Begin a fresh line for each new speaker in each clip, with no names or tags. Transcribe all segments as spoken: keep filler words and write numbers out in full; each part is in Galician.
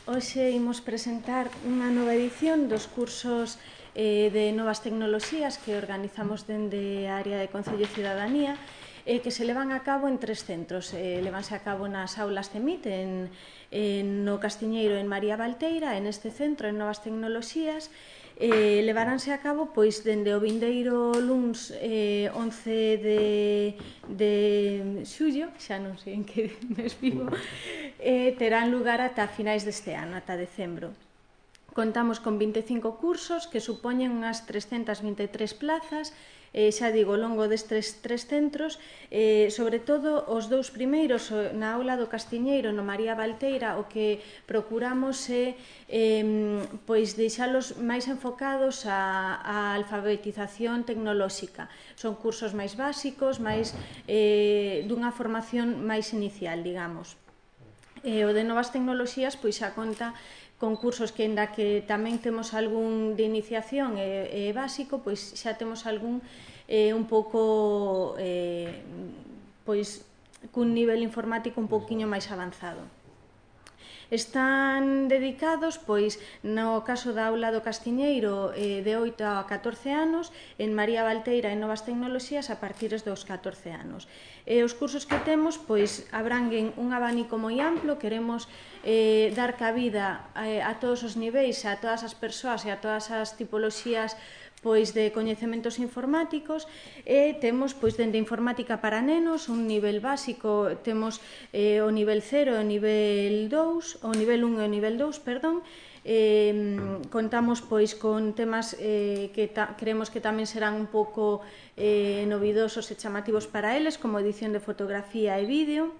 Hoxe imos presentar unha nova edición dos cursos eh, de novas tecnoloxías que organizamos dende a área de Concello e Cidadanía eh, que se levan a cabo en tres centros. Eh, levanse a cabo nas aulas C E M I T, en, en, no Castiñeiro en María Valteira, en este centro en novas tecnoloxías. Eh, levaránse a cabo pois dende o vindeiro luns eh, once de, de xullo, xa non sei en que mes vivo, eh, terán lugar ata finais deste ano, ata decembro. Contamos con vinte e cinco cursos que supoñen unhas trescentas vinte e tres plazas, eh, xa digo, ao longo destes tres centros, eh, sobre todo os dous primeiros, na aula do Castiñeiro, no María Valteira, o que procuramos é eh, pois deixalos máis enfocados á, á alfabetización tecnolóxica. Son cursos máis básicos, máis eh, dunha formación máis inicial, digamos. E o de novas tecnoloxías pois xa conta con cursos que, ainda que tamén temos algún de iniciación e, e básico, pois xa temos algún eh, un pouco eh, pois cun nivel informático un pouquiño máis avanzado. Están dedicados, pois, no caso da aula do Castiñeiro, eh, de oito a catorce anos, en María Valteira en novas tecnoloxías a partir dos catorce anos. E os cursos que temos, pois, abranguen un abanico moi amplo, queremos eh, dar cabida a, a todos os niveis, a todas as persoas e a todas as tipoloxías pois de coñecementos informáticos, e temos pois dende informática para nenos, un nivel básico, temos eh, o nivel cero, o nivel dous, o nivel un e o nivel dous, perdón. Eh, contamos pois con temas eh, que ta, creemos que tamén serán un pouco eh, novidosos e chamativos para eles, como edición de fotografía e vídeo.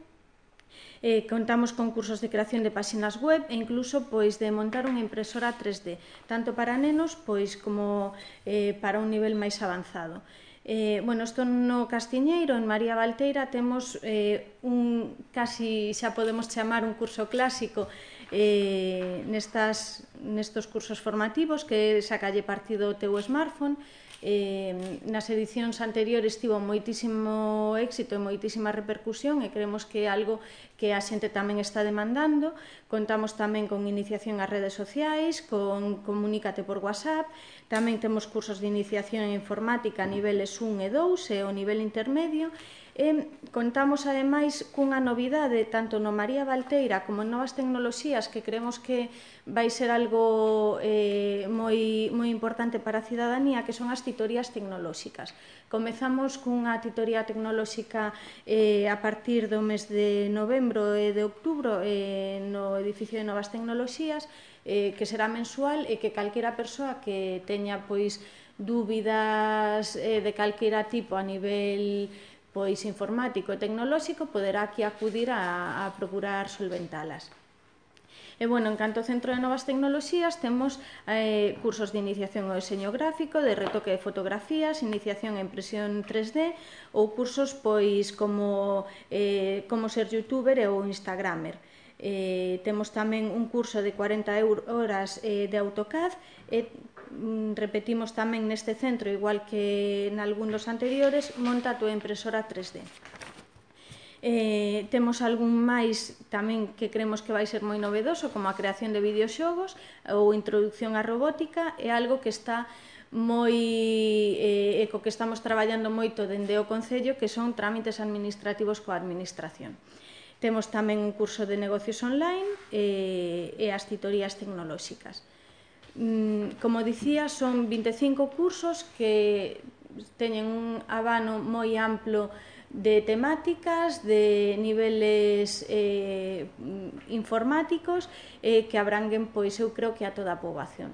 Eh, contamos con cursos de creación de páxinas web e incluso pois de montar unha impresora tres D, tanto para nenos pois como eh, para un nivel máis avanzado. Eh, bueno, isto no Castiñeiro, en María Valteira, temos eh, un, casi xa podemos chamar un curso clásico eh, nestas, nestos cursos formativos, que sacalle partido o teu smartphone. Eh, nas edicións anteriores tivo moitísimo éxito e moitísima repercusión e creemos que é algo que a xente tamén está demandando. Contamos tamén con iniciación ás redes sociais, con comunícate por WhatsApp, tamén temos cursos de iniciación en informática a niveles un e dous e o nivel intermedio. E contamos ademais cunha novidade tanto no María Valteira como en novas tecnoloxías que creemos que vai ser algo eh, moi, moi importante para a cidadanía, que son as titorías tecnolóxicas. Comezamos cunha titoría tecnolóxica eh, a partir do mes de novembro e de outubro eh, no edificio de novas tecnoloxías, eh, que será mensual e que calquera persoa que teña pois dúbidas eh, de calquera tipo a nivel pois informático e tecnolóxico poderá aquí acudir a, a procurar solventalas. E, bueno, en canto ao Centro de Novas Tecnoloxías temos eh, cursos de iniciación ao deseño gráfico, de retoque de fotografías, iniciación en impresión tres D ou cursos pois como eh, como ser youtuber ou instagramer. Eh, temos tamén un curso de cuarenta horas eh, de AutoCAD e repetimos tamén neste centro, igual que en algún dos anteriores, monta a túa impresora tres D. Eh, temos algún máis tamén que creemos que vai ser moi novedoso, como a creación de videoxogos ou introducción á robótica, é algo que está moi eh, e co que estamos traballando moito dende o Concello, que son trámites administrativos coa administración. Temos tamén un curso de negocios online e, e as titorías tecnolóxicas. Como dicía, son vinte e cinco cursos que teñen un abano moi amplo de temáticas, de niveles eh, informáticos eh, que abranguen, pois eu creo que a toda a poboación.